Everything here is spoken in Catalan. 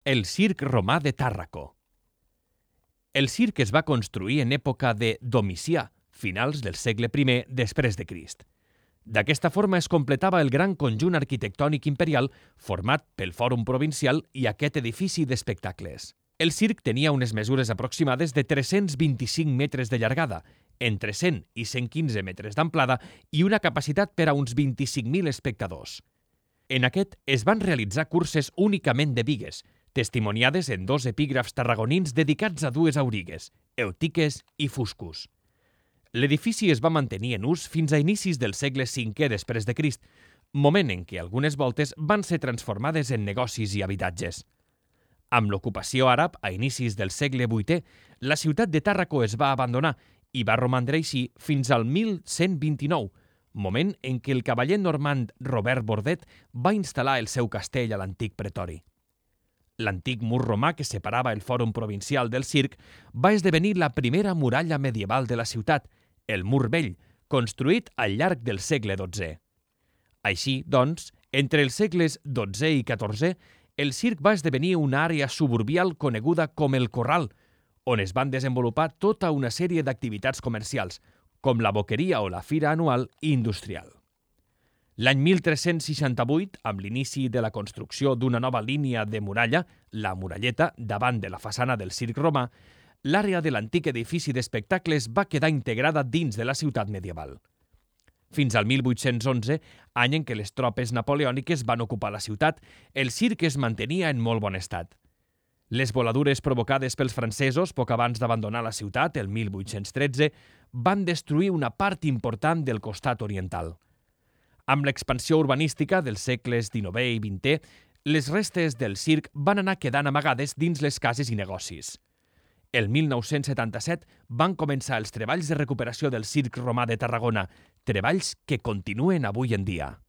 El circ romà de Tàrraco. El circ es va construir en època de Domicià, finals del segle I després de Crist. D'aquesta forma es completava el gran conjunt arquitectònic imperial format pel Fòrum Provincial i aquest edifici d'espectacles. El circ tenia unes mesures aproximades de 325 metres de llargada, entre 100 i 115 metres d'amplada i una capacitat per a uns 25.000 espectadors. En aquest es van realitzar curses únicament de bigues, testimoniades en dos epígrafs tarragonins dedicats a dues aurigues, Eutiques i Fuscus. L'edifici es va mantenir en ús fins a inicis del segle V després de Crist, moment en què algunes voltes van ser transformades en negocis i habitatges. Amb l'ocupació àrab a inicis del segle VIII, la ciutat de Tàrraco es va abandonar i va romandre així fins al 1129, moment en què el cavaller normand Robert Bordet va instal·lar el seu castell a l'antic pretori. L'antic mur romà que separava el Fòrum Provincial del circ va esdevenir la primera muralla medieval de la ciutat, el Mur Vell, construït al llarg del segle XII. Així, doncs, entre els segles XII i XIV, el circ va esdevenir una àrea suburbial coneguda com el Corral, on es van desenvolupar tota una sèrie d'activitats comercials, com la boqueria o la fira anual i industrial. L'any 1368, amb l'inici de la construcció d'una nova línia de muralla, la Muralleta, davant de la façana del circ romà, l'àrea de l'antic edifici d'espectacles va quedar integrada dins de la ciutat medieval. Fins al 1811, any en què les tropes napoleòniques van ocupar la ciutat, el circ es mantenia en molt bon estat. Les voladures provocades pels francesos poc abans d'abandonar la ciutat, el 1813, van destruir una part important del costat oriental. Amb l'expansió urbanística dels segles XIX i XX, les restes del circ van anar quedant amagades dins les cases i negocis. El 1977 van començar els treballs de recuperació del circ romà de Tarragona, treballs que continuen avui en dia.